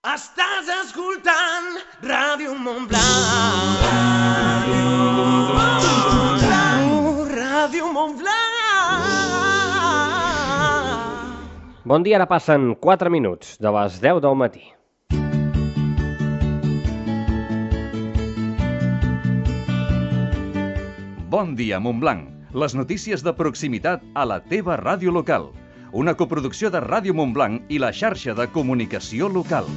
Estàs escoltant Ràdio Montblanc. Ràdio Montblanc. Bon dia, ara passen 4 minuts de les 10 del matí. Bon dia, Montblanc. Les notícies de proximitat a la teva ràdio local. Una coproducció de Ràdio Montblanc i la xarxa de comunicació local.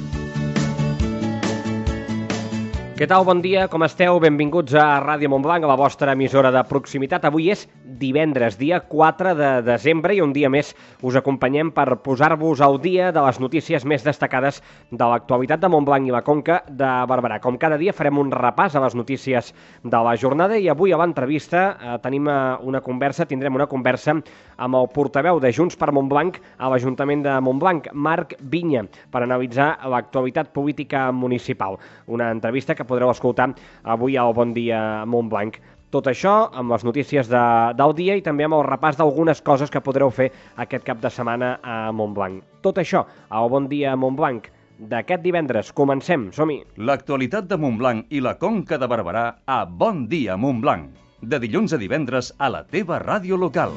Què tal? Bon dia, com esteu? Benvinguts a Ràdio Montblanc, a la vostra emissora de proximitat. Avui és divendres, dia 4 de desembre, i un dia més us acompanyem per posar-vos al dia de les notícies més destacades de l'actualitat de Montblanc i la Conca de Barberà. Com cada dia farem un repàs a les notícies de la jornada i avui a l'entrevista tindrem una conversa amb el portaveu de Junts per Montblanc a l'Ajuntament de Montblanc, Marc Vinya, per analitzar l'actualitat política municipal. Una entrevista que podreu escoltar avui al Bon Dia Montblanc. Tot això amb les notícies del dia i també amb el repàs d'algunes coses que podreu fer aquest cap de setmana a Montblanc. Tot això al Bon Dia Montblanc d'aquest divendres. Comencem, som-hi! L'actualitat de Montblanc i la Conca de Barberà a Bon Dia Montblanc. De dilluns a divendres a la teva ràdio local.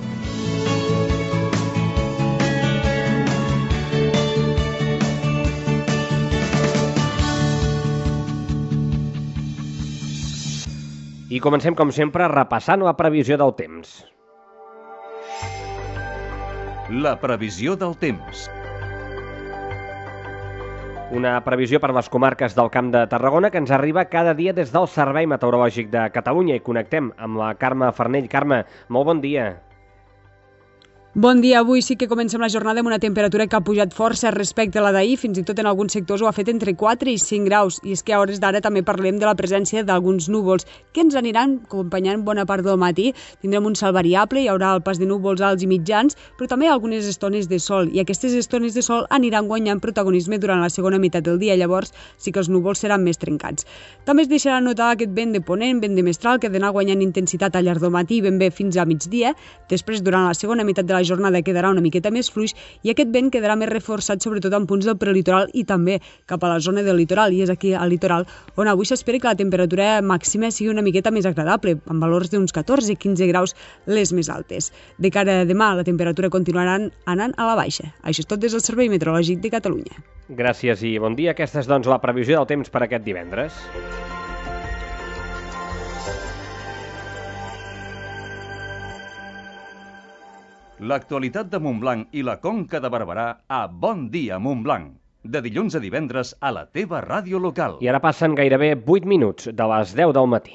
I comencem, com sempre, repassant la previsió del temps. La previsió del temps. Una previsió per les comarques del Camp de Tarragona que ens arriba cada dia des del Servei Meteorològic de Catalunya i connectem amb la Carme Farnell. Carme, molt bon dia. Bon dia. Avui sí que comencem la jornada amb una temperatura que ha pujat força respecte a la d'ahir, fins i tot en alguns sectors ho ha fet entre 4 i 5 graus. I és que a hores d'ara també parlem de la presència d'alguns núvols que ens aniran acompanyant bona part del matí. Tindrem un cel variable, hi haurà el pas de núvols alts i mitjans, però també algunes estones de sol. I aquestes estones de sol aniran guanyant protagonisme durant la segona meitat del dia. Llavors sí que els núvols seran més trencats. També es deixarà notar aquest vent de ponent, vent de mestral, que ha d'anar guanyant intensitat al llarg del matí ben bé fins a migdia. Després, durant la segona meitat de la jornada quedarà una miqueta més fluix i aquest vent quedarà més reforçat sobretot en punts del prelitoral i també cap a la zona del litoral, i és aquí al litoral on avui s'espera que la temperatura màxima sigui una miqueta més agradable, amb valors d'uns 14-15 graus les més altes. De cara a demà la temperatura continuarà anant a la baixa. Això és tot des del Servei Meteorològic de Catalunya. Gràcies i bon dia. Aquesta és, doncs, la previsió del temps per aquest divendres. L'actualitat de Montblanc i la Conca de Barberà a Bon Dia Montblanc. De dilluns a divendres a la teva ràdio local. I ara passen gairebé 8 minuts de les 10 del matí.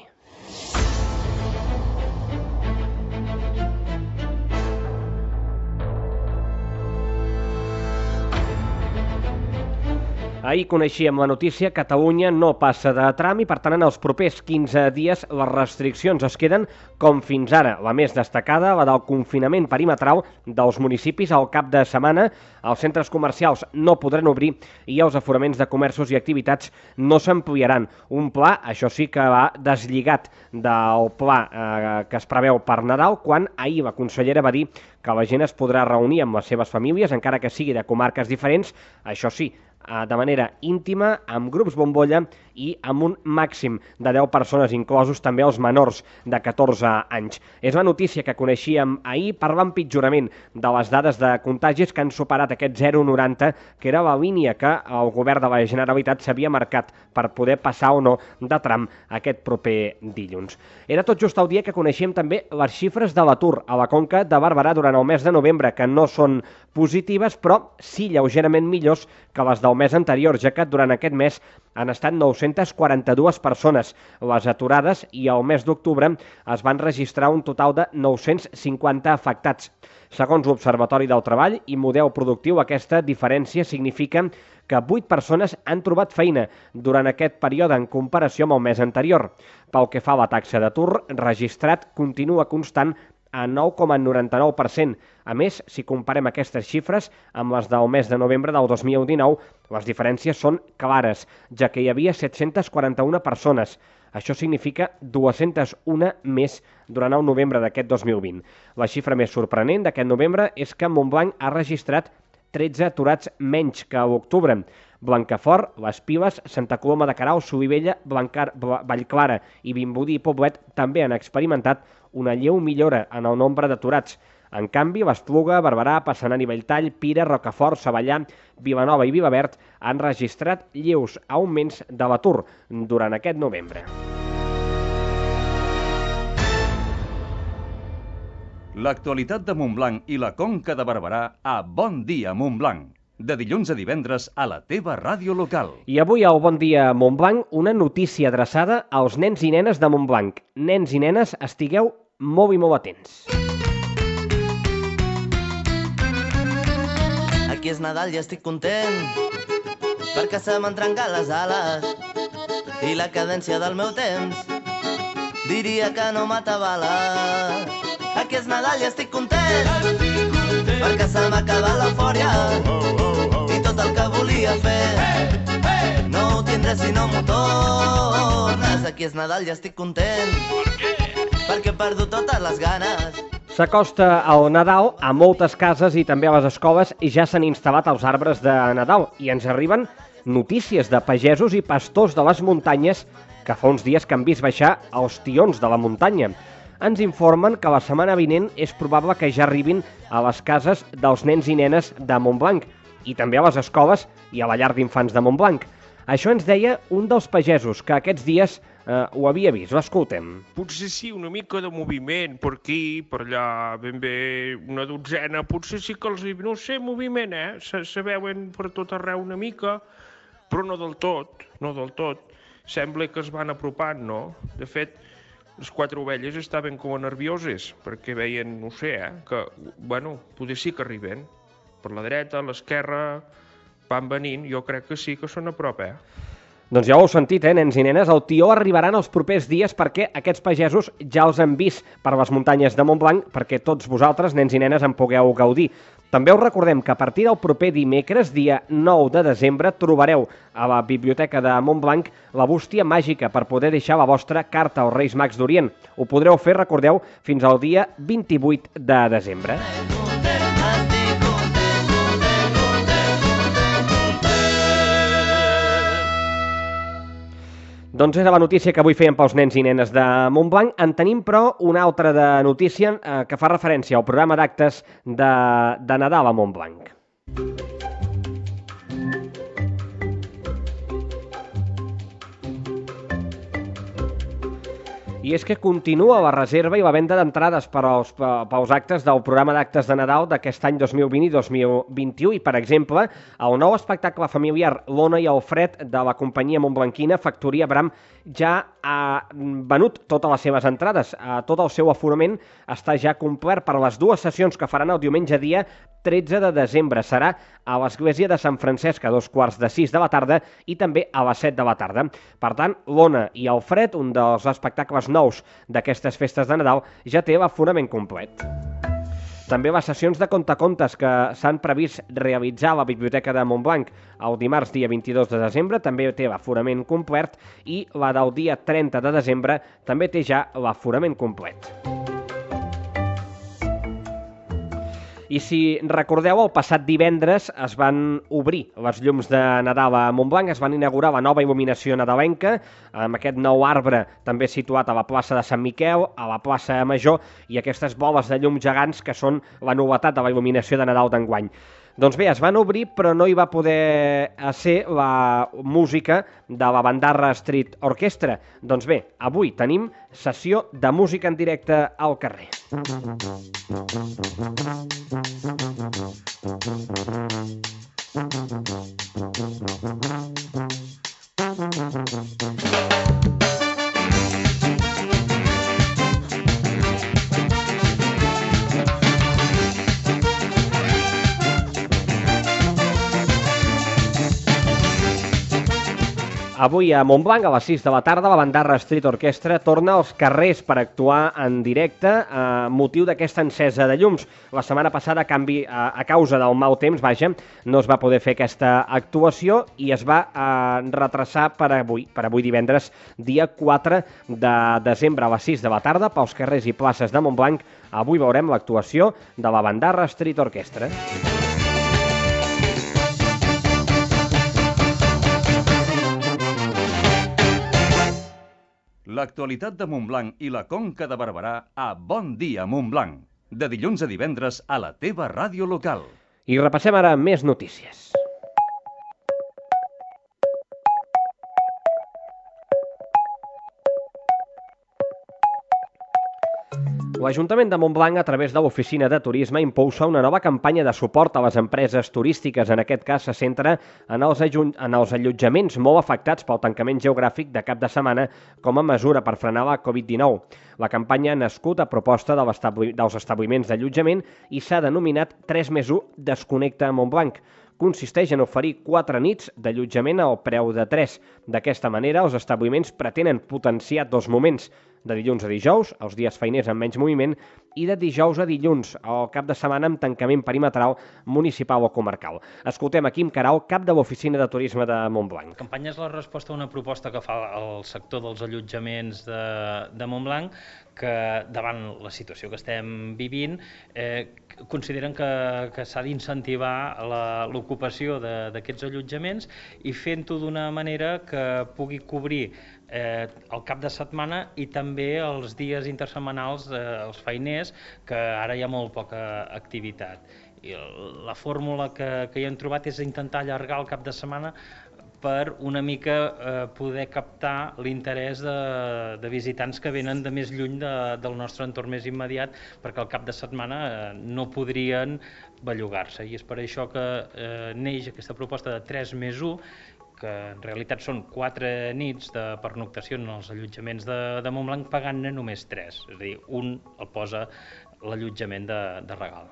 Ahir coneixíem la notícia, Catalunya no passa de tram i, per tant, en els propers 15 dies les restriccions es queden com fins ara. La més destacada, la del confinament perimetral dels municipis al cap de setmana. Els centres comercials no podran obrir i els aforaments de comerços i activitats no s'ampliaran. Un pla, això sí, que va deslligat del pla que es preveu per Nadal, quan ahir la consellera va dir que la gent es podrà reunir amb les seves famílies, encara que sigui de comarques diferents, això sí, de manera íntima, amb grups bombolla i amb un màxim de 10 persones, inclosos també els menors de 14 anys. És la notícia que coneixíem ahir per l'empitjorament de les dades de contagis que han superat aquest 0,90, que era la línia que el govern de la Generalitat s'havia marcat per poder passar o no de tram aquest proper dilluns. Era tot just el dia que coneixíem també les xifres de l'atur a la Conca de Barberà durant el mes de novembre, que no són positives, però sí lleugerament millors que les del mes anterior, ja que durant aquest mes han estat 942 persones les aturades i al mes d'octubre es van registrar un total de 950 afectats. Segons l'Observatori del Treball i Model Productiu, aquesta diferència significa que 8 persones han trobat feina durant aquest període en comparació amb el mes anterior. Pel que fa a la taxa d'atur registrat, continua constant a 9,99%. A més, si comparem aquestes xifres amb les del mes de novembre del 2019, les diferències són clares, ja que hi havia 741 persones. Això significa 201 més durant el novembre d'aquest 2020. La xifra més sorprenent d'aquest novembre és que Montblanc ha registrat 13 aturats menys que a l'octubre. Blancafort, Les Piles, Santa Coloma de Queralt, Solivella, Vallclara i Vimbodí i Poblet també han experimentat una lleu millora en el nombre d'aturats. En canvi, l'Espluga, Barberà, Passanant i Belltall, Pira, Rocafort, Savallà, Vilanova i Vilaverd han registrat lleus augments de l'atur durant aquest novembre. L'actualitat de Montblanc i la Conca de Barberà a Bon Dia Montblanc. De dilluns a divendres a la teva ràdio local. I avui al Bon Dia Montblanc, una notícia adreçada als nens i nenes de Montblanc. Nens i nenes, estigueu molt i molt atents. Aquí és Nadal i estic content perquè se m'han trencat les ales i la cadència del meu temps diria que no m'atabala. Aquí és Nadal i estic content perquè se m'ha acabat l'eufòria i tot el que volia fer no ho tindré si no m'ho tornes. Aquí és Nadal i estic content perquè he perdut totes les ganes. S'acosta el Nadal a moltes cases i també a les escoles i ja s'han instal·lat els arbres de Nadal i ens arriben notícies de pagesos i pastors de les muntanyes que fa uns dies que han vist baixar els tions de la muntanya. Ens informen que la setmana vinent és probable que ja arribin a les cases dels nens i nenes de Montblanc i també a les escoles i a la llar d'infants de Montblanc. Això ens deia un dels pagesos que aquests dies ho havia vist. L'escoltem. Potser sí, una mica de moviment, per aquí, per allà, ben bé una dotzena, potser sí que els... No sé, moviment, se veuen per tot arreu una mica, però no del tot, no del tot. Sembla que es van apropant, no? De fet, les 4 ovelles estaven com a nervioses, perquè veien, no sé, que, bueno, potser sí que arriben. Per la dreta, a l'esquerra, van venint, jo crec que sí que són a prop, Doncs ja ho heu sentit, nens i nenes, el tió arribarà en els propers dies perquè aquests pagesos ja els han vist per les muntanyes de Montblanc perquè tots vosaltres, nens i nenes, en pugueu gaudir. També us recordem que a partir del proper dimecres, dia 9 de desembre, trobareu a la Biblioteca de Montblanc la bústia màgica per poder deixar la vostra carta als Reis Mags d'Orient. Ho podreu fer, recordeu, fins al dia 28 de desembre. Doncs era la notícia que avui fèiem pels nens i nenes de Montblanc. En tenim, però, una altra de notícia que fa referència al programa d'actes de Nadal a Montblanc. I és que continua la reserva i la venda d'entrades pels actes del programa d'actes de Nadal d'aquest any 2020 i 2021. I, per exemple, el nou espectacle familiar L'Ona i el Fred de la companyia montblanquina Factoria Bram ja ha venut totes les seves entrades. Tot el seu aforament està ja complert per les 2 sessions que faran el diumenge dia 13 de desembre. Serà a l'església de Sant Francesc a 5:45 de la tarda i també a les 7 de la tarda. Per tant, L'Ona i el Fred, un dels espectacles nous d'aquestes festes de Nadal, ja té l'aforament complet. També les sessions de contacontes que s'han previst realitzar a la Biblioteca de Montblanc el dimarts dia 22 de desembre també té l'aforament complet i la del dia 30 de desembre també té ja l'aforament complet. I si recordeu, el passat divendres es van obrir les llums de Nadal a Montblanc, es van inaugurar la nova il·luminació nadalenca, amb aquest nou arbre també situat a la plaça de Sant Miquel, a la plaça Major, i aquestes boles de llum gegants que són la novetat de la il·luminació de Nadal d'enguany. Doncs bé, es van obrir, però no hi va poder ser la música de la Bandarra Street Orchestra. Doncs bé, avui tenim sessió de música en directe al carrer. Avui a Montblanc, a les 6 de la tarda, la Bandarra Street Orchestra torna als carrers per actuar en directe a motiu d'aquesta encesa de llums. La setmana passada, a causa del mal temps, no es va poder fer aquesta actuació i es va retrasar per avui divendres, dia 4 de desembre, a les 6 de la tarda, pels carrers i places de Montblanc. Avui veurem l'actuació de la Bandarra Street Orchestra. L'actualitat de Montblanc i la Conca de Barberà a Bon Dia Montblanc. De dilluns a divendres a la teva ràdio local. I repassem ara més notícies. L'Ajuntament de Montblanc, a través de l'Oficina de Turisme, impulsa una nova campanya de suport a les empreses turístiques. En aquest cas, se centra en els allotjaments molt afectats pel tancament geogràfic de cap de setmana com a mesura per frenar la Covid-19. La campanya ha nascut a proposta dels establiments d'allotjament i s'ha denominat 3+1 Desconnecta Montblanc. Consisteix en oferir 4 nits d'allotjament al preu de 3. D'aquesta manera, els establiments pretenen potenciar 2 moments, de dilluns a dijous, els dies feiners amb menys moviment, i de dijous a dilluns, al cap de setmana amb tancament perimetral municipal o comarcal. Escoltem a Quim Carau, cap de l'Oficina de Turisme de Montblanc. La campanya és la resposta a una proposta que fa el sector dels allotjaments de Montblanc, que davant la situació que estem vivint consideren que s'ha d'incentivar l'ocupació d'aquests allotjaments i fent-ho d'una manera que pugui cobrir el cap de setmana i també els dies intersetmanals els feiners, que ara hi ha molt poca activitat. I la fórmula que hi hem trobat és intentar allargar el cap de setmana per una mica poder captar l'interès de visitants que venen de més lluny del nostre entorn més immediat, perquè al cap de setmana no podrien bellugar-se. I és per això que neix aquesta proposta de 3+1, que en realitat són 4 nits de pernoctació en els allotjaments de Montblanc, pagant-ne només 3, és a dir, un el posa l'allotjament de regal.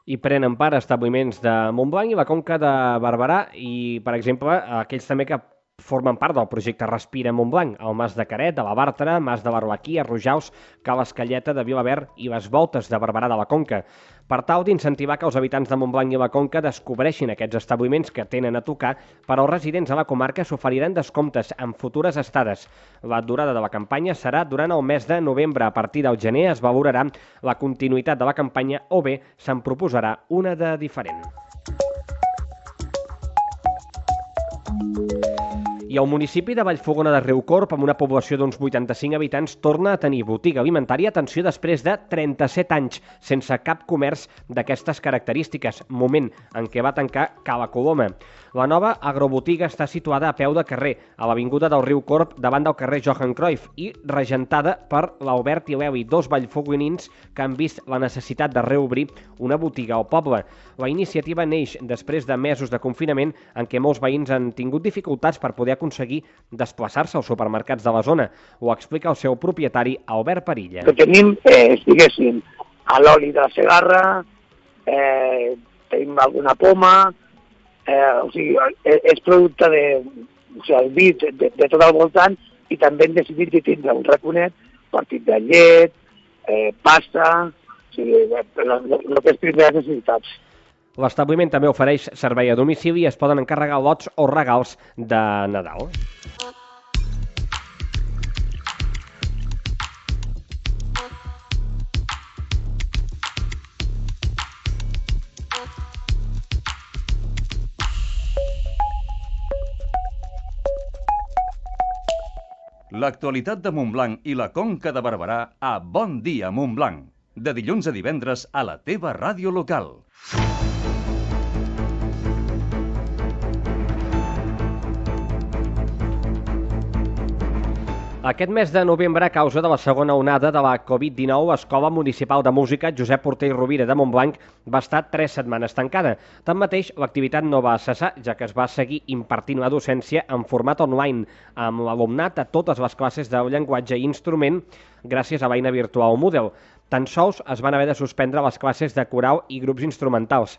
I prenen part establiments de Montblanc i la Conca de Barberà i, per exemple, aquells també que formen part del projecte Respira Montblanc, el Mas de Caret, de la Bàrtara, Mas de Barbaquí, Arrojaus, Cala Escalleta, de Vilaverd i les Voltes de Barberà de la Conca, per tal d'incentivar que els habitants de Montblanc i la Conca descobreixin aquests establiments que tenen a tocar. Per als residents a la comarca s'oferiran descomptes en futures estades. La durada de la campanya serà durant el mes de novembre. A partir del gener es valorarà la continuïtat de la campanya o bé se'n proposarà una de diferent. I el municipi de Vallfogona de Riucorb, amb una població d'uns 85 habitants, torna a tenir botiga alimentària, atenció, després de 37 anys, sense cap comerç d'aquestes característiques, moment en què va tancar Cala Coloma. La nova agrobotiga està situada a peu de carrer, a l'avinguda del Riucorb, davant del carrer Johan Cruyff, i regentada per l'Albert i l'Eli, 2 vallfogonins que han vist la necessitat de reobrir una botiga al poble. La iniciativa neix després de mesos de confinament en què molts veïns han tingut dificultats per poder aconseguir desplaçar-se als supermercats de la zona. Ho explica el seu propietari, Albert Parilla. Que tenim, diguéssim, a l'oli de la Segarra, tenim alguna poma, o sigui, és producte el vi de tot el voltant, i també hem decidit de tindre un raconet partit de llet, pasta, o sigui, el que és primeres necessitats. L'establiment també ofereix servei a domicili i es poden encarregar lots o regals de Nadal. L'actualitat de Montblanc i la Conca de Barberà a Bon Dia Montblanc. De dilluns a divendres a la teva ràdio local. Aquest mes de novembre, a causa de la segona onada de la Covid-19, l'Escola Municipal de Música Josep Porter i Rovira de Montblanc va estar 3 setmanes tancada. Tanmateix, l'activitat no va cessar, ja que es va seguir impartint la docència en format online, amb l'alumnat a totes les classes de llenguatge i instrument gràcies a l'eina virtual Moodle. Tan sols es van haver de suspendre les classes de coral i grups instrumentals.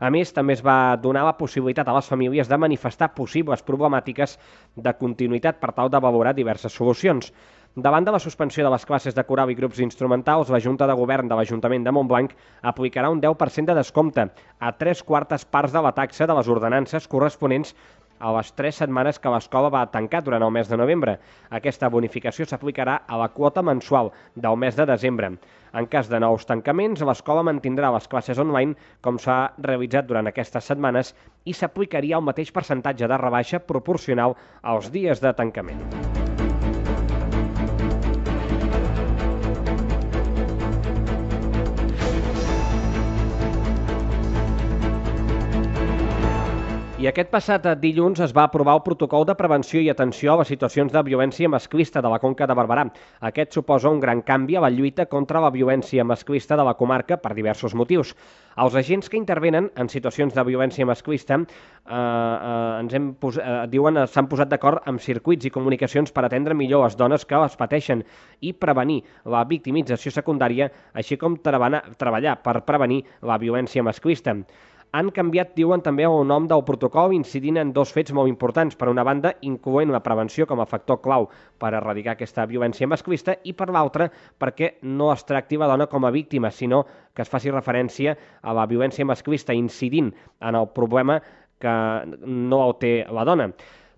A més, també es va donar la possibilitat a les famílies de manifestar possibles problemàtiques de continuïtat per tal de valorar diverses solucions. Davant de la suspensió de les classes de coral i grups instrumentals, la Junta de Govern de l'Ajuntament de Montblanc aplicarà un 10% de descompte a 3/4 parts de la taxa de les ordenances corresponents a les 3 setmanes que l'escola va tancar durant el mes de novembre. Aquesta bonificació s'aplicarà a la quota mensual del mes de desembre. En cas de nous tancaments, l'escola mantindrà les classes online com s'ha realitzat durant aquestes setmanes i s'aplicaria el mateix percentatge de rebaixa proporcional als dies de tancament. I aquest passat dilluns es va aprovar el protocol de prevenció i atenció a les situacions de violència masclista de la Conca de Barberà. Aquest suposa un gran canvi a la lluita contra la violència masclista de la comarca per diversos motius. Els agents que intervenen en situacions de violència masclista diuen s'han posat d'acord amb circuits i comunicacions per atendre millor les dones que les pateixen i prevenir la victimització secundària, així com treballar per prevenir la violència masclista. Han canviat, diuen, també el nom del protocol, incidint en dos fets molt importants. Per una banda, incloent la prevenció com a factor clau per erradicar aquesta violència masclista i, per l'altra, perquè no es tracti la dona com a víctima, sinó que es faci referència a la violència masclista, incidint en el problema que no el té la dona.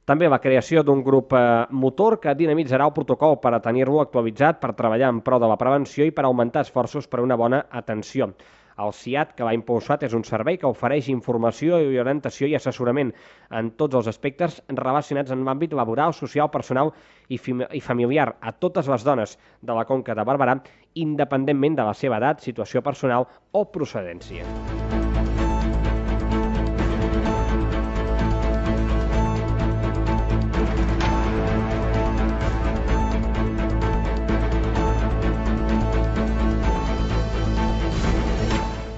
També la creació d'un grup motor que dinamitzarà el protocol per a tenir-lo actualitzat, per treballar en pro de la prevenció i per augmentar esforços per a una bona atenció. El CIAT, que l'ha impulsat, és un servei que ofereix informació i orientació i assessorament en tots els aspectes relacionats en l'àmbit laboral, social, personal i familiar a totes les dones de la Conca de Barberà, independentment de la seva edat, situació personal o procedència.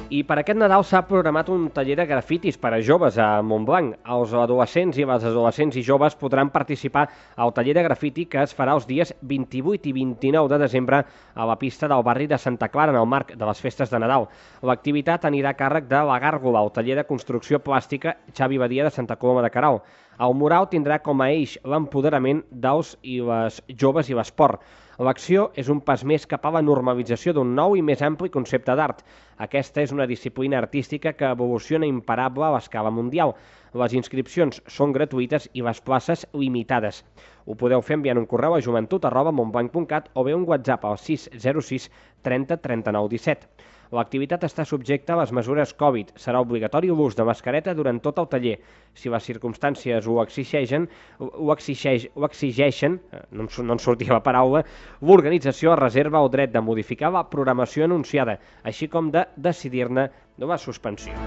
I per aquest Nadal s'ha programat un taller de grafitis per a joves a Montblanc. Els adolescents i les adolescents i joves podran participar al taller de grafiti que es farà els dies 28 i 29 de desembre a la pista del barri de Santa Clara, en el marc de les festes de Nadal. L'activitat anirà a càrrec de la Gàrgola, el taller de construcció plàstica Xavi Badia de Santa Coloma de Queralt. El mural tindrà com a eix l'empoderament dels i les joves i l'esport. L'acció és un pas més cap a la normalització d'un nou i més ampli concepte d'art. Aquesta és una disciplina artística que evoluciona imparable a l'escala mundial. Les inscripcions són gratuïtes i les places limitades. Ho podeu fer enviant un correu a joventut@montblanc.cat o bé un WhatsApp al 606 30 39 17. L'activitat està subjecta a les mesures Covid. Serà obligatori l'ús de mascareta durant tot el taller. Si les circumstàncies ho exigeixen, no em sortia la paraula, l'organització reserva el dret de modificar la programació anunciada, així com de decidir-ne la suspensió.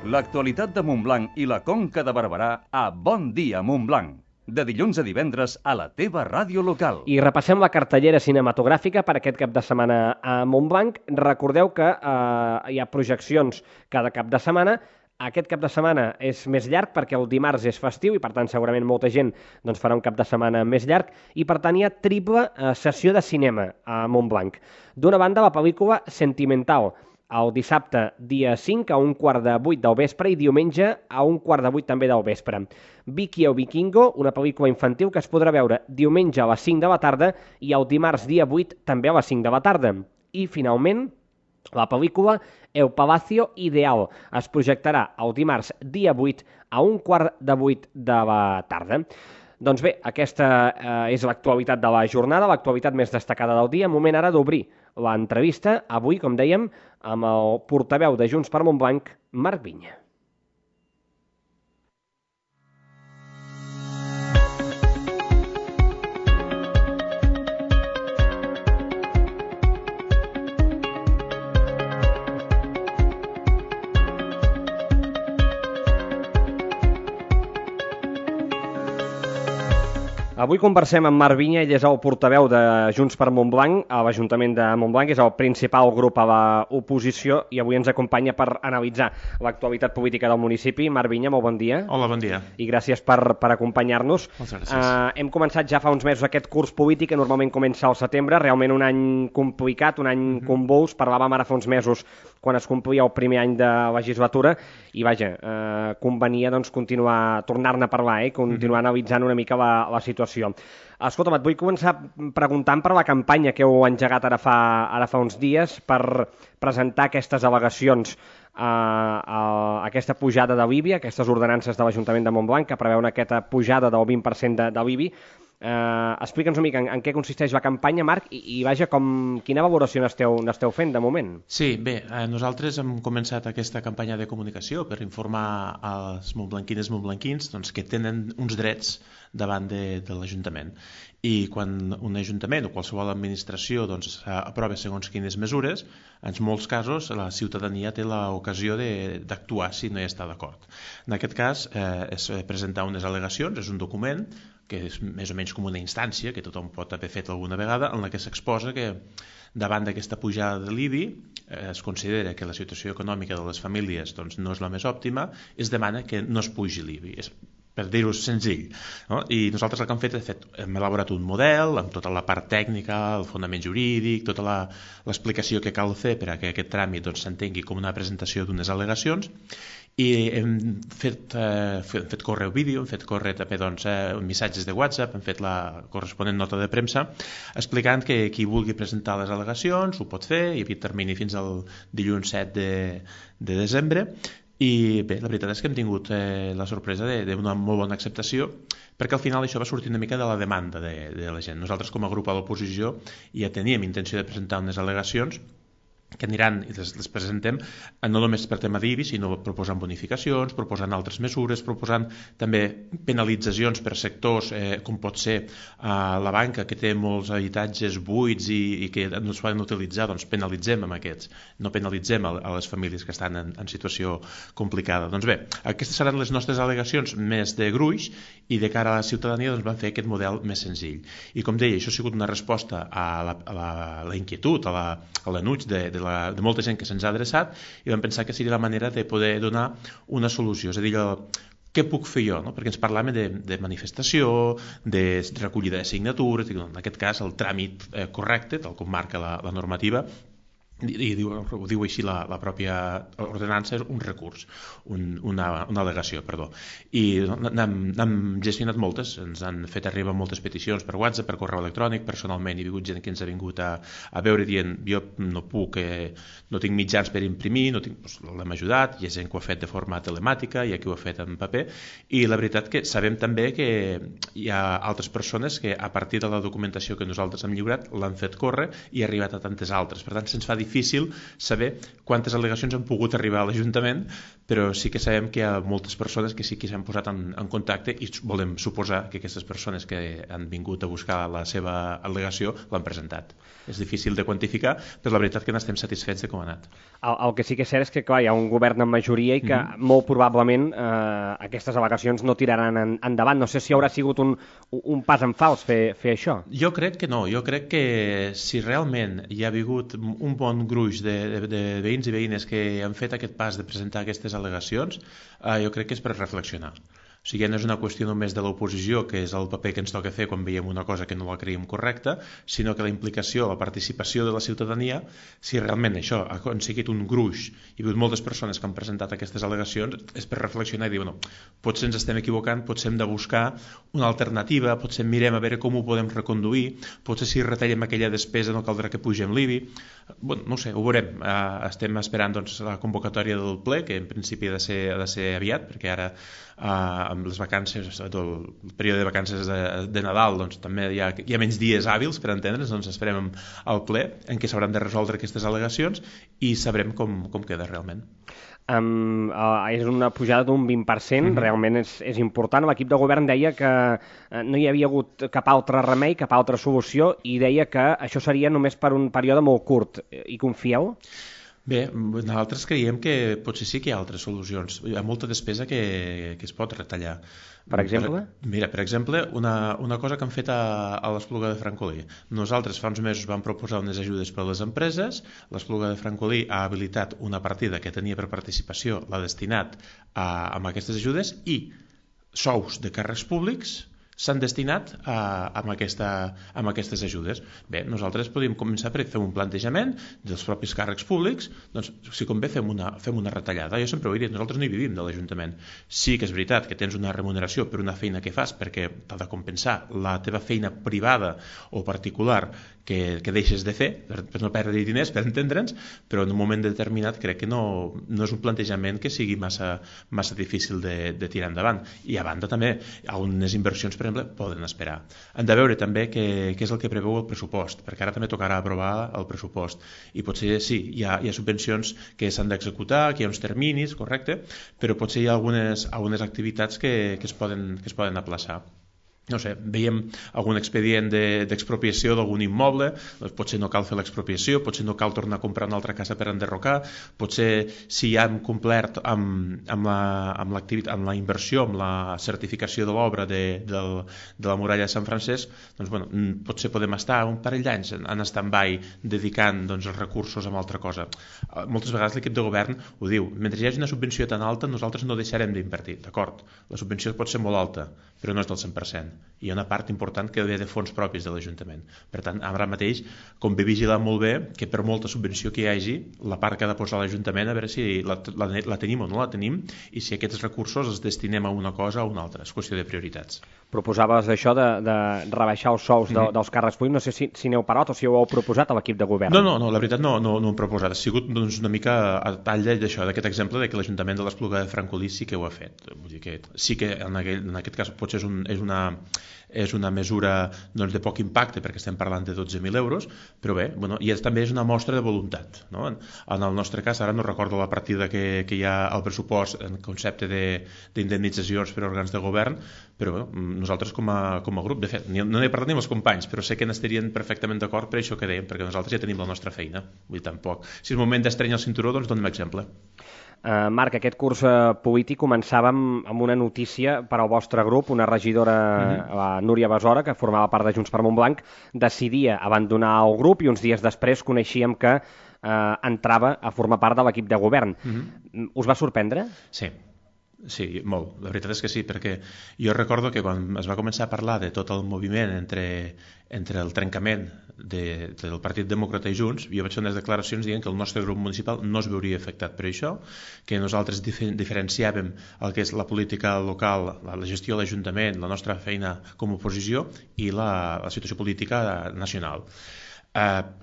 L'actualitat de Montblanc i la Conca de Barberà a Bon Dia Montblanc. De dilluns a divendres a la teva ràdio local. I repassem la cartellera cinematogràfica per aquest cap de setmana a Montblanc. Recordeu que hi ha projeccions cada cap de setmana. Aquest cap de setmana és més llarg perquè el dimarts és festiu i per tant segurament molta gent farà un cap de setmana més llarg i per tant hi ha triple sessió de cinema a Montblanc. D'una banda la pel·lícula Sentimental, el dissabte dia 5 a 7:15 del vespre i diumenge a 7:15 també del vespre. Vicky el Vikingo, una pel·lícula infantil que es podrà veure diumenge a les 5 de la tarda i el dimarts dia 8 també a les 5 de la tarda. I finalment, la pel·lícula El Palacio Ideal es projectarà el dimarts dia 8 a 7:15 de la tarda. Doncs bé, aquesta és l'actualitat de la jornada, l'actualitat més destacada del dia. Moment ara d'obrir l'entrevista, avui, com dèiem, amb el portaveu de Junts per Montblanc, Marc Vinya. Avui conversem amb Marc Vinya, ell és el portaveu de Junts per Montblanc a l'Ajuntament de Montblanc, és el principal grup a l'oposició i avui ens acompanya per analitzar l'actualitat política del municipi. Marc Vinya, molt bon dia. Hola, bon dia. I gràcies per acompanyar-nos. Moltes gràcies. Hem començat ja fa uns mesos aquest curs polític que normalment comença al setembre, realment un any complicat, un any convuls. Parlàvem ara fa uns mesos quan es complia el primer any de legislatura i vaja, convenia continuar, tornar-ne a parlar, continuar analitzant una mica la situació. Escolta'm, et vull començar preguntant per la campanya que heu engegat ara fa uns dies per presentar aquestes al·legacions a aquesta pujada de l'IBI, aquestes ordenances de l'Ajuntament de Montblanc que preveuen aquesta pujada del 20% de l'IBI. Explica'ns una mica en què consisteix la campanya, Marc, i vaja, quina valoració n'esteu fent de moment? Sí, bé, nosaltres hem començat aquesta campanya de comunicació per informar als montblanquines i montblanquins doncs, que tenen uns drets davant de l'Ajuntament. I quan un ajuntament o qualsevol administració doncs, aprova segons quines mesures, en molts casos la ciutadania té l'ocasió d'actuar si no hi està d'acord. En aquest cas és presentar unes al·legacions, és un document que és més o menys com una instància que tothom pot haver fet alguna vegada, en la que s'exposa que davant d'aquesta pujada de l'IBI es considera que la situació econòmica de les famílies doncs, no és la més òptima, es demana que no es pugi l'IBI. Per dir-ho senzill. No? I nosaltres el que hem elaborat un model amb tota la part tècnica, el fonament jurídic, tota l'explicació que cal fer per a que aquest tràmit s'entengui com una presentació d'unes al·legacions, i hem fet córrer el vídeo, hem fet córrer també missatges de WhatsApp, hem fet la corresponent nota de premsa explicant que qui vulgui presentar les al·legacions ho pot fer, hi havia termini fins al dilluns 7 de desembre. I bé, la veritat és que hem tingut la sorpresa d'una molt bona acceptació, perquè al final això va sortir una mica de la demanda de la gent. Nosaltres com a grup a l'oposició ja teníem intenció de presentar unes al·legacions que aniran i les presentem no només per tema d'IBI, sinó proposant bonificacions, proposant altres mesures, proposant també penalitzacions per sectors, com pot ser la banca, que té molts habitatges buits i que no es poden utilitzar, doncs penalitzem amb aquests, no penalitzem a les famílies que estan en situació complicada. Doncs bé, aquestes seran les nostres al·legacions més de gruix, i de cara a la ciutadania doncs, van fer aquest model més senzill. I com deia, això ha sigut una resposta a la inquietud, a l'enuig de molta gent que se'ns ha adreçat, i vam pensar que seria la manera de poder donar una solució, és a dir, què puc fer jo? No? Perquè ens parlàvem de manifestació, de recollida de signatures, en aquest cas el tràmit correcte, tal com marca la normativa, i ho diu així la pròpia ordenança, és un recurs, una al·legació, perdó. I n'hem gestionat moltes, ens han fet arribar moltes peticions per WhatsApp, per correu electrònic, personalment hi ha hagut gent que ens ha vingut a veure dient jo no puc, no tinc mitjans per imprimir, l'hem ajudat, hi ha gent que ho ha fet de forma telemàtica, hi ha qui ho ha fet en paper, i la veritat que sabem també que hi ha altres persones que a partir de la documentació que nosaltres hem lliurat l'han fet córrer i ha arribat a tantes altres. Per tant, se'ns fa difícil saber quantes al·legacions han pogut arribar a l'Ajuntament, però sí que sabem que hi ha moltes persones que sí que s'han posat en contacte i volem suposar que aquestes persones que han vingut a buscar la seva al·legació l'han presentat. És difícil de quantificar, però la veritat que n'estem satisfets de com ha anat. El que sí que és cert és que clar, hi ha un govern en majoria i que molt probablement aquestes al·legacions no tiraran endavant. No sé si haurà sigut un pas en fals fer això. Jo crec que no. Jo crec que si realment hi ha hagut un bon gruix de veïns i veïnes que han fet aquest pas de presentar aquestes al·legacions, jo crec que és per reflexionar. O sigui, no és una qüestió només de l'oposició, que és el paper que ens toca fer quan veiem una cosa que no la creiem correcta, sinó que la implicació, la participació de la ciutadania, si realment això ha aconseguit un gruix, hi ha hagut moltes persones que han presentat aquestes al·legacions, és per reflexionar i dir, potser ens estem equivocant, potser hem de buscar una alternativa, potser mirem a veure com ho podem reconduir, potser si retallem aquella despesa no caldrà que pugem l'IBI. No sé, ho veurem. Estem esperant la convocatòria del ple, que en principi ha de ser aviat, perquè ara amb les vacances, el període de vacances de Nadal, doncs també hi ha menys dies hàbils per entendre's, doncs esperem al ple en què s'hauran de resoldre aquestes al·legacions i sabrem com queda realment. És una pujada d'un 20%, realment és important. L'equip de govern deia que no hi havia hagut cap altre remei, cap altra solució, i deia que això seria només per un període molt curt. Hi confieu? Bé, nosaltres creiem que potser sí que hi ha altres solucions. Hi ha molta despesa que es pot retallar. Per exemple? Mira, per exemple, una cosa que han fet a l'Espluga de Francolí. Nosaltres fa uns mesos vam proposar unes ajudes per a les empreses, l'Espluga de Francolí ha habilitat una partida que tenia per participació, l'ha destinat a aquestes ajudes, i sous de càrrecs públics s'han destinat a aquestes ajudes. Bé, nosaltres podríem començar per fer un plantejament dels propis càrrecs públics, doncs si convé fem una retallada. Jo sempre ho he dit, nosaltres no hi vivim de l'Ajuntament. Sí que és veritat que tens una remuneració per una feina que fas perquè t'ha de compensar la teva feina privada o particular que deixes de fer, per no perdre diners, per entendre'ns, però en un moment determinat crec que no és un plantejament que sigui massa difícil de tirar endavant. I a banda també hi ha unes inversions per exemple, poden esperar. Hem de veure també què és el que preveu el pressupost, perquè ara també tocarà aprovar el pressupost. I potser sí, hi ha subvencions que s'han d'executar, que hi ha uns terminis, correcte, però potser hi ha algunes activitats que es poden aplaçar. No sé, veiem algun expedient d'expropiació d'algun immoble, doncs potser no cal fer l'expropiació, potser no cal tornar a comprar una altra casa per enderrocar, potser si ja hem complert amb la inversió, amb la certificació de l'obra de la muralla de Sant Francesc, doncs bueno, potser podem estar un parell d'anys en stand-by dedicant els recursos a una altra cosa. Moltes vegades l'equip de govern ho diu, mentre hi hagi una subvenció tan alta nosaltres no deixarem d'invertir, d'acord, la subvenció pot ser molt alta, però no és del 100%. Hi ha una part important que ve de fons propis de l'Ajuntament. Per tant, ara mateix, com ve vigilant molt bé, que per molta subvenció que hi hagi, la part que ha de posar l'Ajuntament, a veure si la tenim o no la tenim, i si aquests recursos els destinem a una cosa o a una altra. És qüestió de prioritats. Proposaves això de rebaixar els sous dels càrrecs públics. No sé si n'heu parlat o si ho heu proposat a l'equip de govern. No, la veritat no ho hem proposat. Ha sigut una mica a tall d'això, d'aquest exemple de que l'Ajuntament de l'Espluga de Francolí sí que ho ha fet. Vull dir que sí que en aquest cas potser és una mesura de poc impacte perquè estem parlant de 12.000 euros, però bé, i també és una mostra de voluntat. No? En el nostre cas, ara no recordo la partida que hi ha al pressupost en concepte d'indemnitzacions per òrgans de govern, però nosaltres com a grup, de fet, no n'he parlat ni amb els companys, però sé que n'estarien perfectament d'acord per això que dèiem, perquè nosaltres ja tenim la nostra feina. Vull dir, tampoc. Si és moment d'estrenyar el cinturó, doncs donem exemple. Marc, aquest curs polític començàvem amb una notícia per al vostre grup. Una regidora, la Núria Besora, que formava part de Junts per Montblanc, decidia abandonar el grup i uns dies després coneixíem que entrava a formar part de l'equip de govern. Us va sorprendre? Sí, molt. La veritat és que sí, perquè jo recordo que quan es va començar a parlar de tot el moviment entre el trencament del Partit Demòcrata i Junts, jo vaig fer unes declaracions dient que el nostre grup municipal no es veuria afectat per això, que nosaltres diferenciàvem el que és la política local, la gestió de l'Ajuntament, la nostra feina com a oposició i la situació política nacional.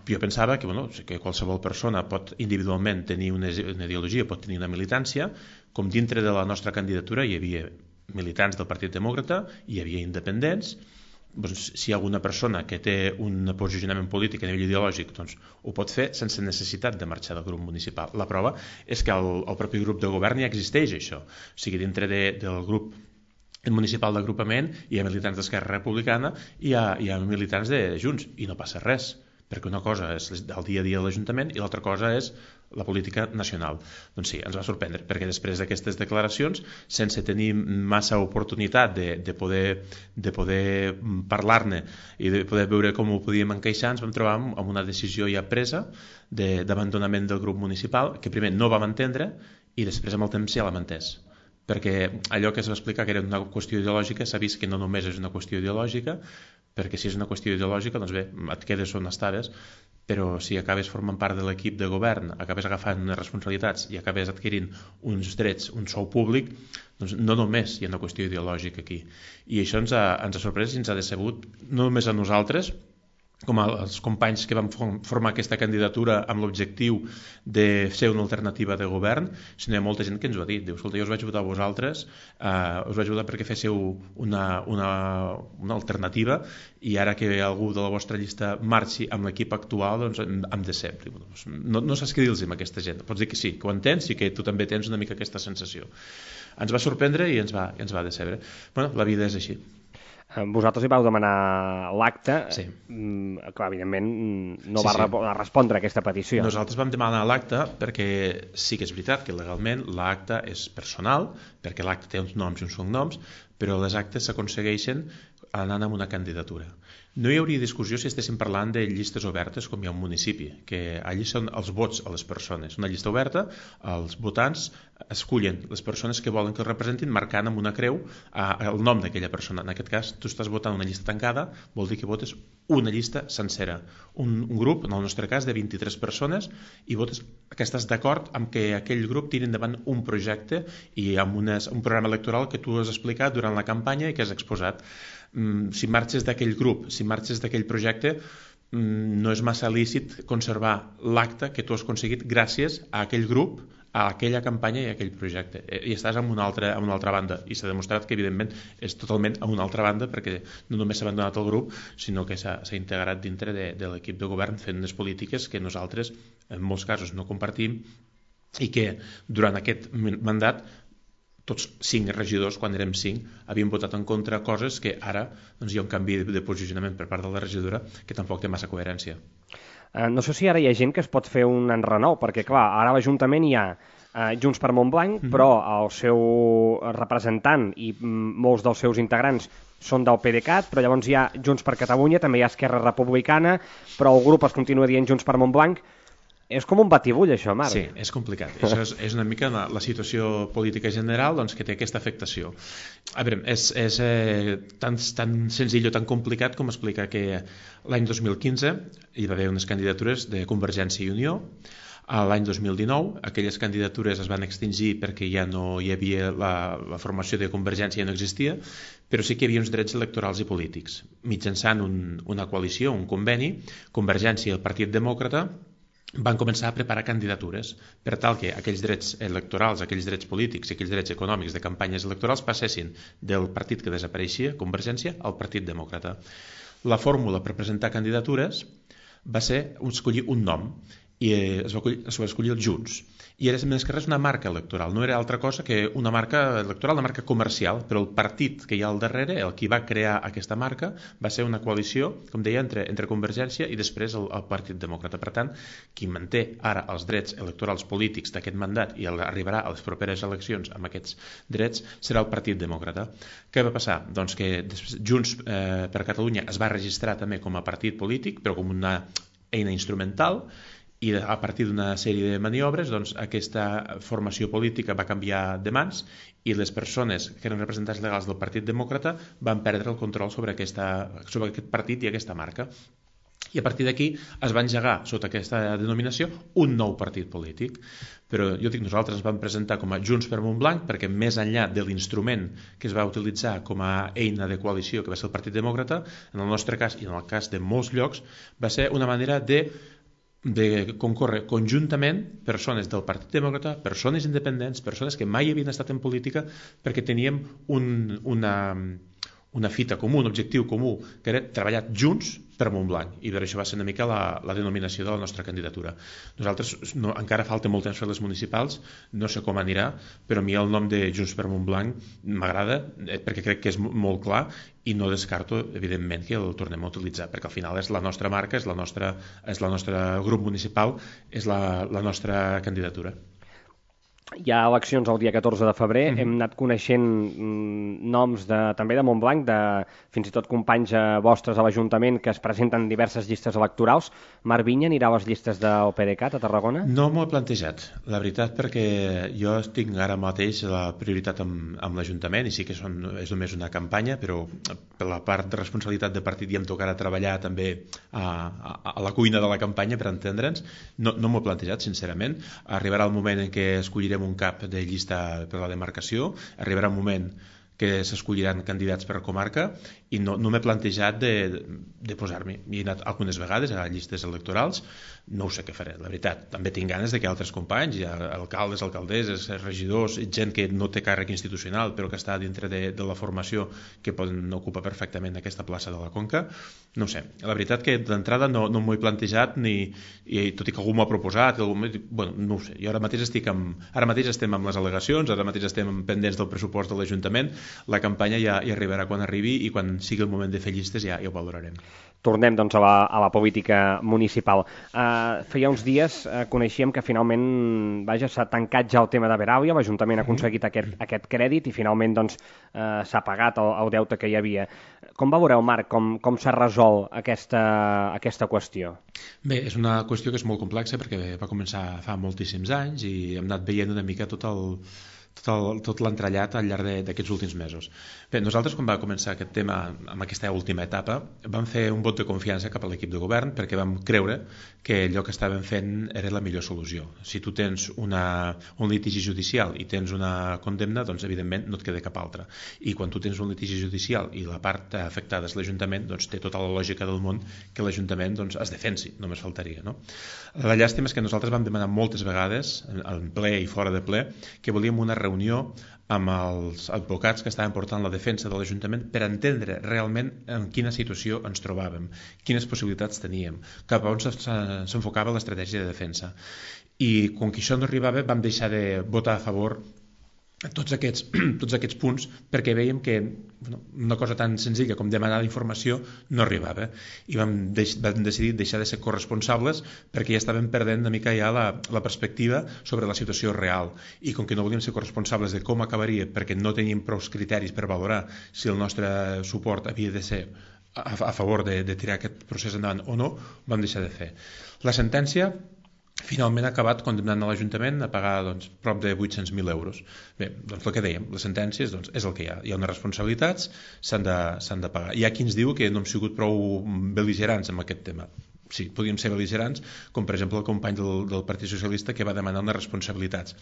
Jo pensava que qualsevol persona pot individualment tenir una ideologia, pot tenir una militància, com dintre de la nostra candidatura hi havia militants del Partit Demòcrata, hi havia independents. Doncs, si hi ha alguna persona que té un posicionament polític a nivell ideològic, doncs ho pot fer sense necessitat de marxar del grup municipal. La prova és que al propi grup de govern ja existeix això. O sigui, dintre del grup municipal d'agrupament hi ha militants d'Esquerra Republicana i hi ha militants de Junts, i no passa res, perquè una cosa és el dia a dia de l'Ajuntament i l'altra cosa és la política nacional. Doncs sí, ens va sorprendre, perquè després d'aquestes declaracions, sense tenir massa oportunitat de poder parlar-ne i de poder veure com ho podíem encaixar, ens vam trobar amb una decisió ja presa d'abandonament del grup municipal, que primer no vam entendre i després amb el temps ja l'hem entès. Perquè allò que es va explicar que era una qüestió ideològica s'ha vist que no només és una qüestió ideològica, perquè si és una qüestió ideològica, doncs bé, et quedes on estaves, però si acabes formant part de l'equip de govern, acabes agafant unes responsabilitats i acabes adquirint uns drets, un sou públic, doncs no només hi ha una qüestió ideològica aquí. I això ens ha sorprès i ens ha decebut, no només a nosaltres, com els companys que vam formar aquesta candidatura amb l'objectiu de ser una alternativa de govern, sinó hi ha molta gent que ens ho ha dit. Diu, escolta, jo us vaig votar a vosaltres, us vaig votar perquè féssiu una alternativa i ara que algú de la vostra llista marxi amb l'equip actual, doncs em decep. No saps què dir-los amb aquesta gent. Pots dir que sí, que ho entens i que tu també tens una mica aquesta sensació. Ens va sorprendre i ens va decebre. Bueno, la vida és així. Vosaltres hi vau demanar l'acte, sí. Que evidentment no va respondre a aquesta petició. Nosaltres vam demanar l'acte perquè sí que és veritat que legalment l'acte és personal, perquè l'acte té uns noms i uns cognoms, però les actes s'aconsegueixen anant amb una candidatura. No hi hauria discussió si estéssim parlant de llistes obertes com hi ha un municipi, que allí són els vots a les persones. Una llista oberta, els votants escullen les persones que volen que els representin marcant amb una creu el nom d'aquella persona. En aquest cas, tu estàs votant una llista tancada, vol dir que votes una llista sencera. Un grup, en el nostre cas, de 23 persones, i votes que estàs d'acord amb que aquell grup tiri endavant un projecte i amb un programa electoral que tu has explicat durant la campanya i que has exposat. Si marxes d'aquell grup, si marxes d'aquell projecte, no és massa lícit conservar l'acte que tu has aconseguit gràcies a aquell grup a aquella campanya i a aquell projecte. I estàs en una altra banda, i s'ha demostrat que evidentment és totalment a una altra banda, perquè no només s'ha abandonat el grup, sinó que s'ha integrat dintre de l'equip de govern fent unes polítiques que nosaltres en molts casos no compartim i que durant aquest mandat tots 5 regidors, quan érem 5, havien votat en contra coses que ara doncs, hi ha un canvi de posicionament per part de la regidora que tampoc té massa coherència. No sé si ara hi ha gent que es pot fer un enrenou, perquè clar, ara a l'Ajuntament hi ha Junts per Montblanc, però el seu representant i molts dels seus integrants són del PDeCAT, però llavors hi ha Junts per Catalunya, també hi ha Esquerra Republicana, però el grup es continua dient Junts per Montblanc. És com un batibull, això, Marc. Sí, és complicat. Això és una mica la situació política general doncs, que té aquesta afectació. A veure, és tan senzill o tan complicat com explicar que l'any 2015 hi va haver unes candidatures de Convergència i Unió. L'any 2019 aquelles candidatures es van extingir perquè ja no hi havia la formació de Convergència, ja no existia, però sí que hi havia uns drets electorals i polítics. Mitjançant una coalició, un conveni, Convergència i el Partit Demòcrata van començar a preparar candidatures per tal que aquells drets electorals, aquells drets polítics i aquells drets econòmics de campanyes electorals passessin del partit que desapareixia, Convergència, al Partit Demòcrata. La fórmula per presentar candidatures va ser escollir un nom i es va escollir el Junts. I era més que res una marca electoral, no era altra cosa que una marca electoral, una marca comercial, però el partit que hi ha al darrere, el qui va crear aquesta marca, va ser una coalició, com deia, entre Convergència i després el Partit Demòcrata. Per tant, qui manté ara els drets electorals polítics d'aquest mandat i arribarà a les properes eleccions amb aquests drets serà el Partit Demòcrata. Què va passar? Doncs que Junts per Catalunya es va registrar també com a partit polític, però com una eina instrumental, i a partir d'una sèrie de maniobres doncs, aquesta formació política va canviar de mans i les persones que eren representants legals del Partit Demòcrata van perdre el control sobre aquest partit i aquesta marca. I a partir d'aquí es va engegar sota aquesta denominació un nou partit polític. Però jo dic, nosaltres ens vam presentar com a Junts per Montblanc perquè més enllà de l'instrument que es va utilitzar com a eina de coalició que va ser el Partit Demòcrata, en el nostre cas i en el cas de molts llocs va ser una manera de concórrer conjuntament persones del Partit Demòcrata, persones independents, persones que mai havien estat en política perquè teníem una fita comú, un objectiu comú, que era treballar junts per Montblanc, i per això va ser una mica la denominació de la nostra candidatura. Nosaltres encara falta molt temps per les municipals, no sé com anirà, però a mi el nom de Junts per Montblanc m'agrada perquè crec que és molt clar i no descarto, evidentment, que el tornem a utilitzar, perquè al final és la nostra marca, és la nostra grup municipal, és la nostra candidatura. Hi ha eleccions el dia 14 de febrer, hem anat coneixent noms també de Montblanc, fins i tot companys vostres a l'Ajuntament que es presenten en diverses llistes electorals. Marc Vinya anirà a les llistes del PDeCAT a Tarragona? No m'ho he plantejat, la veritat, perquè jo tinc ara mateix la prioritat amb l'Ajuntament i sí que és només una campanya, però per la part de responsabilitat de partit ja em tocarà treballar també a la cuina de la campanya, per entendre'ns. No m'ho he plantejat, sincerament. Arribarà el moment en què escollirem un cap de llista per la demarcació, arribarà un moment que s'escolliran candidats per comarca i no m'he plantejat de posar-m'hi. He anat algunes vegades a llistes electorals, no ho sé què faré, la veritat. També tinc ganes de que altres companys, alcaldes, alcaldesses, regidors, gent que no té càrrec institucional però que està dintre de la formació que poden ocupar perfectament aquesta plaça de la Conca, no ho sé. La veritat que d'entrada no m'ho he plantejat, tot i que algú m'ho ha proposat, no ho sé. Jo ara mateix estem amb les al·legacions, ara mateix estem pendents del pressupost de l'Ajuntament, la campanya ja arribarà quan arribi i quan sigui el moment de fer llistes ja ho valorarem. Tornem doncs a la política municipal. Feia uns dies coneixíem que finalment s'ha tancat ja el tema de Veràlia, l'Ajuntament ha aconseguit aquest crèdit i finalment doncs s'ha pagat el deute que hi havia. Com veureu, Marc, com s'ha resolt aquesta qüestió? Bé, és una qüestió que és molt complexa perquè va començar fa moltíssims anys i hem anat veient una mica tot tot l'entrellat al llarg d'aquests últims mesos. Bé, nosaltres quan va començar aquest tema, amb aquesta última etapa, vam fer un vot de confiança cap a l'equip de govern perquè vam creure que allò que estàvem fent era la millor solució. Si tu tens un litigi judicial i tens una condemna, doncs evidentment no et queda cap altra. I quan tu tens un litigi judicial i la part afectada és l'Ajuntament, doncs té tota la lògica del món que l'Ajuntament doncs, es defensi, només faltaria. No? La llàstima és que nosaltres vam demanar moltes vegades, en ple i fora de ple, que volíem una reunió amb els advocats que estaven portant la defensa de l'Ajuntament per entendre realment en quina situació ens trobàvem, quines possibilitats teníem, cap a on s'enfocava l'estratègia de defensa. I com que això no arribava, vam deixar de votar a favor tots aquests punts perquè veiem que una cosa tan senzilla com demanar informació no arribava i vam decidir deixar de ser corresponsables perquè ja estàvem perdent una mica ja la perspectiva sobre la situació real i com que no volíem ser corresponsables de com acabaria perquè no teníem prou criteris per valorar si el nostre suport havia de ser a favor de tirar aquest procés endavant o no, vam deixar de fer. La sentència finalment ha acabat condemnant a l'Ajuntament a pagar doncs, prop de 800.000 euros. Bé, doncs el que dèiem, les sentències doncs, és el que hi ha. Hi ha unes responsabilitats, s'han de pagar. Hi ha qui ens diu que no hem sigut prou bel·ligerants amb aquest tema. Sí, podíem ser bel·ligerants, com per exemple el company del Partit Socialista que va demanar unes responsabilitats,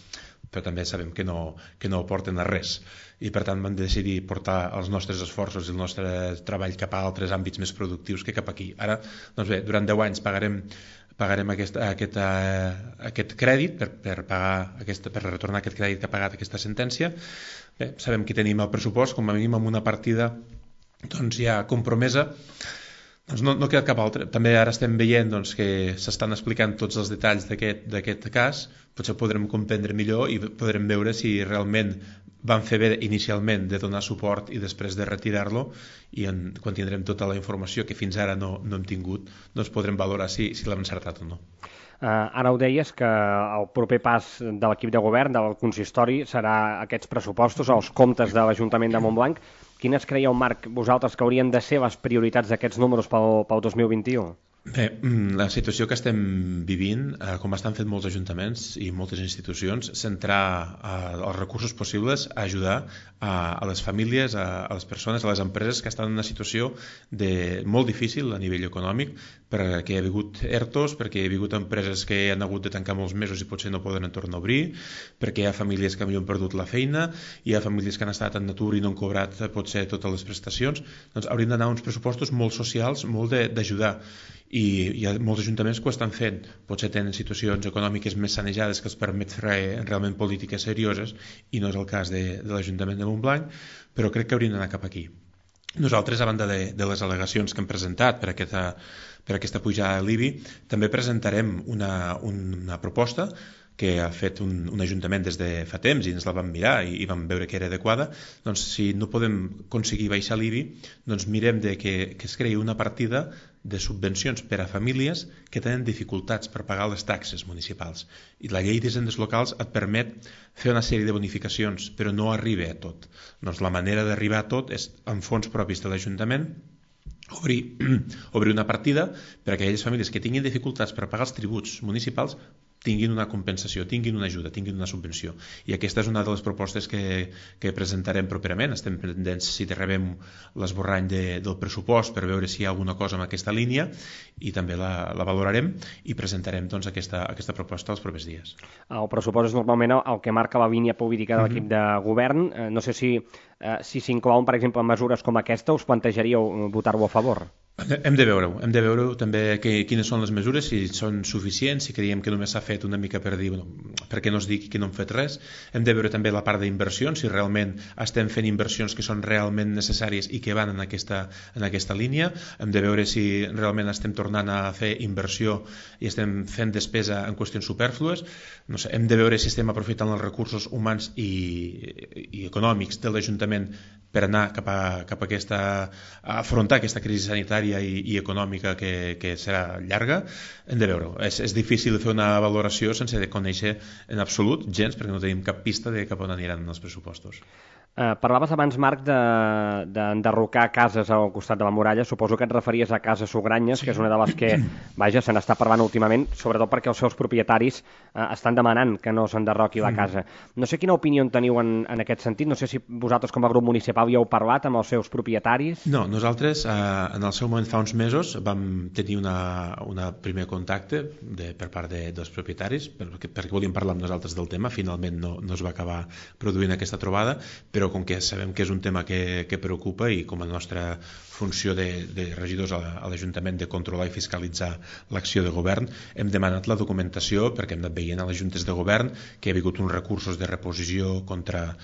però també sabem que no porten a res i per tant vam decidir portar els nostres esforços i el nostre treball cap a altres àmbits més productius que cap aquí. Ara, doncs bé, durant 10 anys pagarem aquest crèdit per retornar aquest crèdit que ha pagat aquesta sentència. Bé, sabem que tenim el pressupost com a mínim amb una partida doncs, ja compromesa. Doncs no queda cap altre. També ara estem veient doncs, que s'estan explicant tots els detalls d'aquest cas. Potser podrem comprendre millor i podrem veure si realment van fer bé inicialment de donar suport i després de retirar-lo i quan tindrem tota la informació que fins ara no hem tingut, doncs podrem valorar si l'hem encertat o no. Ara ho deies que el proper pas de l'equip de govern, del consistori, serà aquests pressupostos, els comptes de l'Ajuntament de Montblanc. Quines creieu, Marc, vosaltres que haurien de ser les prioritats d'aquests números pel 2021? Bé, la situació que estem vivint, com estan fent molts ajuntaments i moltes institucions, centrar els recursos possibles a ajudar a les famílies, a les persones, a les empreses que estan en una situació molt difícil a nivell econòmic, perquè hi ha hagut ERTOs, perquè hi ha hagut empreses que han hagut de tancar molts mesos i potser no poden tornar a obrir, perquè hi ha famílies que han perdut la feina, hi ha famílies que han estat en atur i no han cobrat potser totes les prestacions. Doncs haurien d'anar uns pressupostos molt socials, molt d'ajudar. I hi ha molts ajuntaments que ho estan fent, potser tenen situacions econòmiques més sanejades que els permet fer realment polítiques serioses i no és el cas de l'Ajuntament de Montblanc, però crec que haurien d'anar cap aquí. Nosaltres, a banda de les al·legacions que hem presentat per aquesta pujada de l'IBI, també presentarem una proposta que ha fet un ajuntament des de fa temps i ens la vam mirar i vam veure que era adequada. Doncs si no podem aconseguir baixar l'IBI, doncs mirem que es creï una partida de subvencions per a famílies que tenen dificultats per pagar les taxes municipals. I la llei d'hisendes locals et permet fer una sèrie de bonificacions, però no arriba a tot. Doncs la manera d'arribar a tot és amb fons propis de l'Ajuntament, obrir una partida per a aquelles famílies que tinguin dificultats per pagar els tributs municipals tinguin una compensació, tinguin una ajuda, tinguin una subvenció. I aquesta és una de les propostes que presentarem properament. Estem pendents si rebem l'esborrany del pressupost per veure si hi ha alguna cosa en aquesta línia i també la valorarem i presentarem doncs, aquesta proposta els propers dies. El pressupost és normalment el que marca la línia política de l'equip de govern. No sé si s'inclouen, per exemple, mesures com aquesta, us plantejaríeu votar-ho a favor? Hem de veure-ho també quines són les mesures, si són suficients, si creiem que només s'ha fet una mica per dir, perquè no es digui que no hem fet res. Hem de veure també la part d'inversions, si realment estem fent inversions que són realment necessàries i que van en aquesta línia. Hem de veure si realment estem tornant a fer inversió i estem fent despesa en qüestions supèrflues. No sé, hem de veure si estem aprofitant els recursos humans i econòmics de l'Ajuntament per anar cap a afrontar aquesta crisi sanitària i econòmica que serà llarga. Hem de veure-ho. És difícil fer una valoració sense de conèixer en absolut gens, perquè no tenim cap pista de cap on aniran els pressupostos. Parlaves abans, Marc, d'enderrocar cases al costat de la muralla. Suposo que et referies a Casa Sugranyes, que és una de les que, vaja, se n'està parlant últimament, sobretot perquè els seus propietaris estan demanant que no s'enderroqui la casa. No sé quina opinió en teniu en aquest sentit, no sé si vosaltres com a grup municipal ja heu parlat amb els seus propietaris. No, nosaltres en el seu moment fa uns mesos vam tenir un primer contacte per part dels propietaris perquè volíem parlar amb nosaltres del tema. Finalment no es va acabar produint aquesta trobada, però com que sabem que és un tema que preocupa i com a nostra funció de regidors a l'Ajuntament de controlar i fiscalitzar l'acció de govern, hem demanat la documentació perquè hem anat veient a les juntes de govern que hi ha hagut uns recursos de reposició contra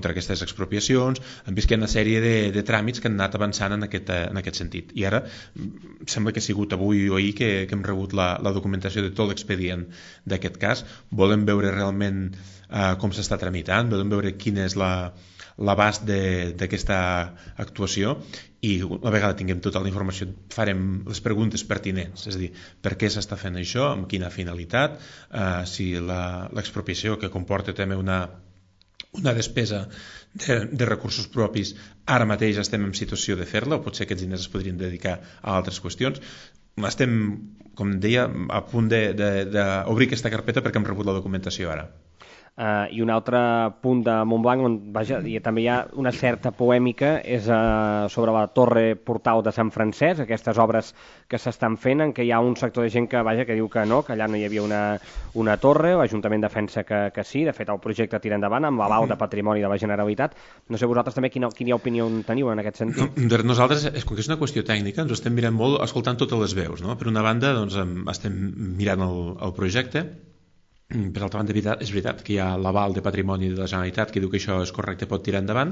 aquestes expropiacions. Hem vist que hi ha una sèrie de tràmits que han anat avançant en aquest sentit. I ara sembla que ha sigut avui o ahir que hem rebut la documentació de tot l'expedient d'aquest cas. Volem veure realment com s'està tramitant, volem veure quina és l'abast d'aquesta actuació i una vegada tinguem tota la informació farem les preguntes pertinents, és a dir, per què s'està fent això, amb quina finalitat, si l'expropiació que comporta també una despesa de recursos propis, ara mateix estem en situació de fer-la o potser aquests diners es podrien dedicar a altres qüestions. Estem, com deia, a punt d'obrir aquesta carpeta perquè hem rebut la documentació ara. I un altre punt de Montblanc on també hi ha una certa polèmica és sobre la torre portal de Sant Francesc, aquestes obres que s'estan fent, en què hi ha un sector de gent que diu que no, que allà no hi havia una torre. L'Ajuntament defensa que sí, de fet el projecte tira endavant amb l'aval de Patrimoni de la Generalitat. No sé vosaltres també quina opinió teniu en aquest sentit. Nosaltres, com que és una qüestió tècnica, ens ho estem mirant molt escoltant totes les veus, no? Per una banda estem mirant el projecte. Per altra banda, és veritat que hi ha l'aval de Patrimoni de la Generalitat que diu que això és correcte, pot tirar endavant,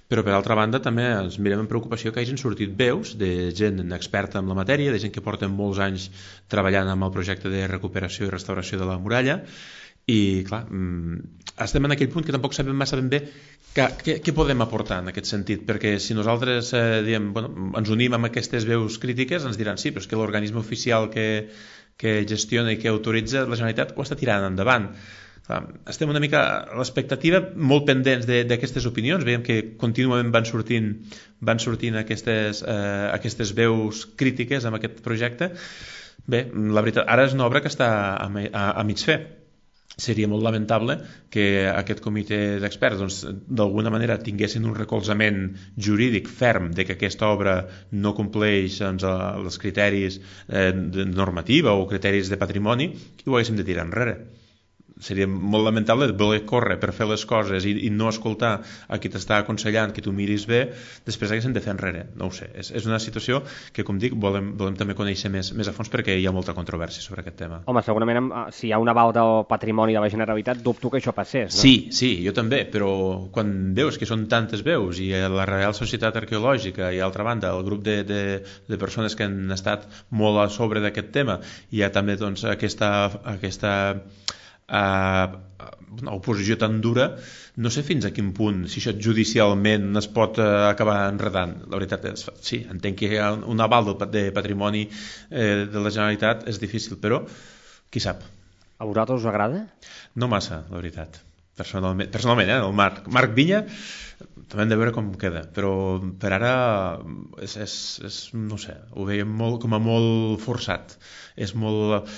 però per altra banda també ens mirem amb preocupació que hagin sortit veus de gent experta en la matèria, de gent que porten molts anys treballant amb el projecte de recuperació i restauració de la muralla, i clar, estem en aquell punt que tampoc sabem massa ben bé què podem aportar en aquest sentit, perquè si nosaltres ens unim amb aquestes veus crítiques ens diran sí, però és que l'organisme oficial que gestiona i que autoritza la Generalitat ho està tirant endavant. Estem una mica a l'expectativa, molt pendents d'aquestes opinions. Veiem que contínuament van sortint aquestes veus crítiques amb aquest projecte. Bé, la veritat, ara és una obra que està a mig fer. Seria molt lamentable que aquest comitè d'experts d'alguna manera tinguessin un recolzament jurídic ferm de que aquesta obra no compleix els criteris de normativa o criteris de patrimoni i ho haguéssim de tirar enrere. Seria molt lamentable voler córrer per fer les coses i no escoltar a qui t'està aconsellant que tu miris bé, després haguéssim de fer enrere. No ho sé, és una situació que, com dic, volem també conèixer més a fons perquè hi ha molta controvèrsia sobre aquest tema. Home, segurament si hi ha un aval del Patrimoni de la Generalitat dubto que això passés, no? Sí, jo també, però quan veus que són tantes veus i la Real Societat Arqueològica i, a l'altra banda, el grup de persones que han estat molt a sobre d'aquest tema, hi ha també aquesta oposició tan dura, no sé fins a quin punt, si això judicialment es pot acabar enredant. La veritat és, sí, entenc que hi ha un aval de patrimoni de la Generalitat, és difícil, però qui sap. A vosaltres us agrada? No massa, la veritat. Personalment, el Marc Vinya també hem de veure com queda, però per ara no sé, ho veiem com a molt forçat, és molt...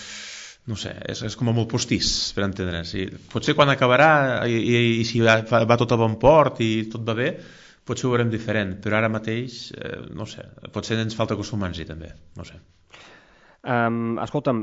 no sé, és com a molt postís per entendre's. Potser quan acabarà i si va tot a bon port i tot va bé, potser ho veurem diferent, però ara mateix no sé, potser ens falta acostumar-nos-hi també, no sé. Escolta'm,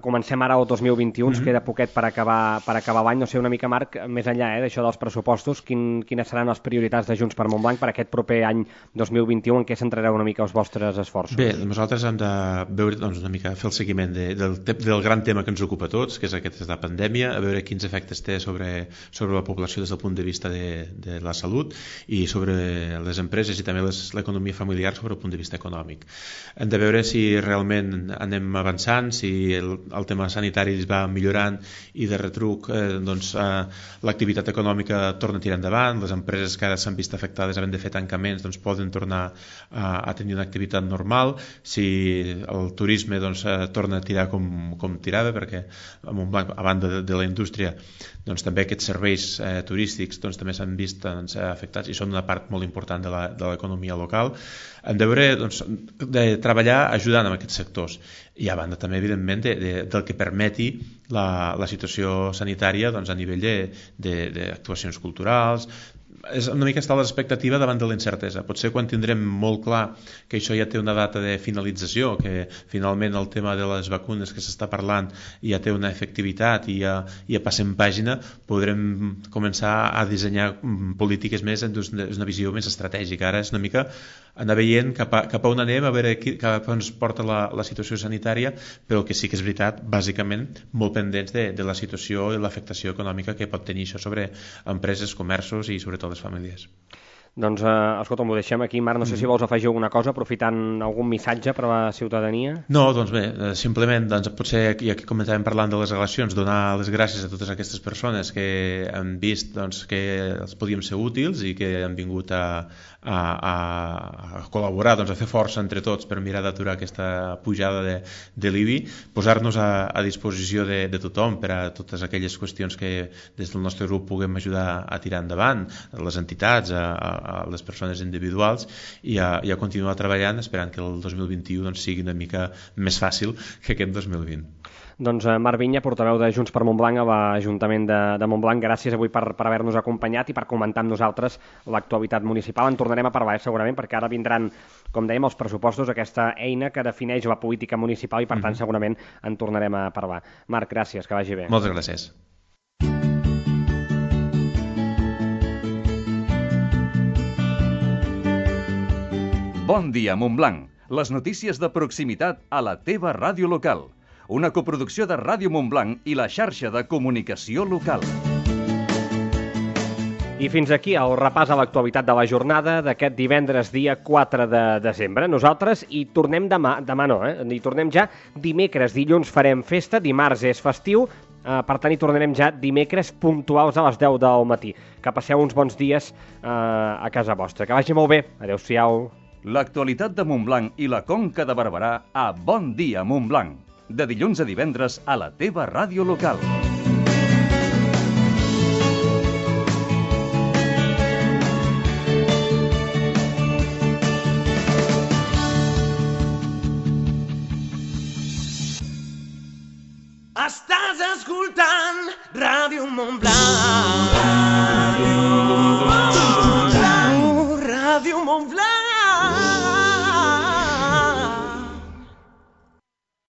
comencem ara el 2021, ens queda poquet per acabar l'any. No sé, una mica, Marc, més enllà d'això dels pressupostos, quines seran les prioritats de Junts per Montblanc per aquest proper any 2021, en què centrareu una mica els vostres esforços? Bé, nosaltres hem de veure, una mica fer el seguiment del gran tema que ens ocupa a tots, que és aquesta pandèmia, a veure quins efectes té sobre la població des del punt de vista de la salut i sobre les empreses i també l'economia familiar sobre el punt de vista econòmic. Hem de veure si realment anem avançant, si el tema sanitari es va millorant i de retruc l'activitat econòmica torna a tirar endavant, les empreses que ara s'han vist afectades havent de fer tancaments poden tornar a tenir una activitat normal, si el turisme torna a tirar com tirava, perquè a Montblanc, a banda de la indústria, també aquests serveis turístics també s'han vist afectats i són una part molt important de l'economia local. Hem de treballar ajudant en aquests sectors i a banda també evidentment del que permeti la situació sanitària a nivell d'actuacions culturals. És una mica estar a l'expectativa davant de la incertesa. Potser quan tindrem molt clar que això ja té una data de finalització, que finalment el tema de les vacunes que s'està parlant ja té una efectivitat i ja passem pàgina, podrem començar a dissenyar polítiques més en una visió més estratègica. Ara és una mica anar veient cap a on anem, a veure cap a on es porta la situació sanitària, però que sí que és veritat, bàsicament, molt pendents de la situació i l'afectació econòmica que pot tenir això sobre empreses, comerços i sobretot les famílies. Doncs, escolta, m'ho deixem aquí. Marc, no sé si vols afegir alguna cosa, aprofitant algun missatge per a la ciutadania. No, doncs bé, simplement, potser ja que comentàvem parlant de les relacions, donar les gràcies a totes aquestes persones que han vist que els podíem ser útils i que han vingut a col·laborar, a fer força entre tots per mirar d'aturar aquesta pujada de l'IBI, posar-nos a disposició de tothom per a totes aquelles qüestions que des del nostre grup puguem ajudar a tirar endavant, les entitats, a les persones individuals i a continuar treballant esperant que el 2021 sigui una mica més fàcil que aquest 2020. Doncs Marc Vinya, portaveu de Junts per Montblanc a l'Ajuntament de Montblanc, gràcies avui per haver-nos acompanyat i per comentar amb nosaltres l'actualitat municipal. En tornarem a parlar segurament, perquè ara vindran, com dèiem, els pressupostos, aquesta eina que defineix la política municipal i per tant segurament en tornarem a parlar. Marc, gràcies, que vagi bé. Moltes gràcies. Bon dia, Montblanc. Les notícies de proximitat a la teva ràdio local. Una coproducció de Ràdio Montblanc i la xarxa de comunicació local. I fins aquí el repàs a l'actualitat de la jornada d'aquest divendres, dia 4 de desembre. Nosaltres hi tornem demà no, hi tornem ja dimecres. Dilluns farem festa, dimarts és festiu, per tant hi tornarem ja dimecres puntuals a les 10 del matí. Que passeu uns bons dies a casa vostra. Que vagi molt bé. Adéu-siau. L'actualitat de Montblanc i la Conca de Barberà a Bon Dia Montblanc. De dilluns a divendres a la teva ràdio local. Estàs escoltant Ràdio Montblanc.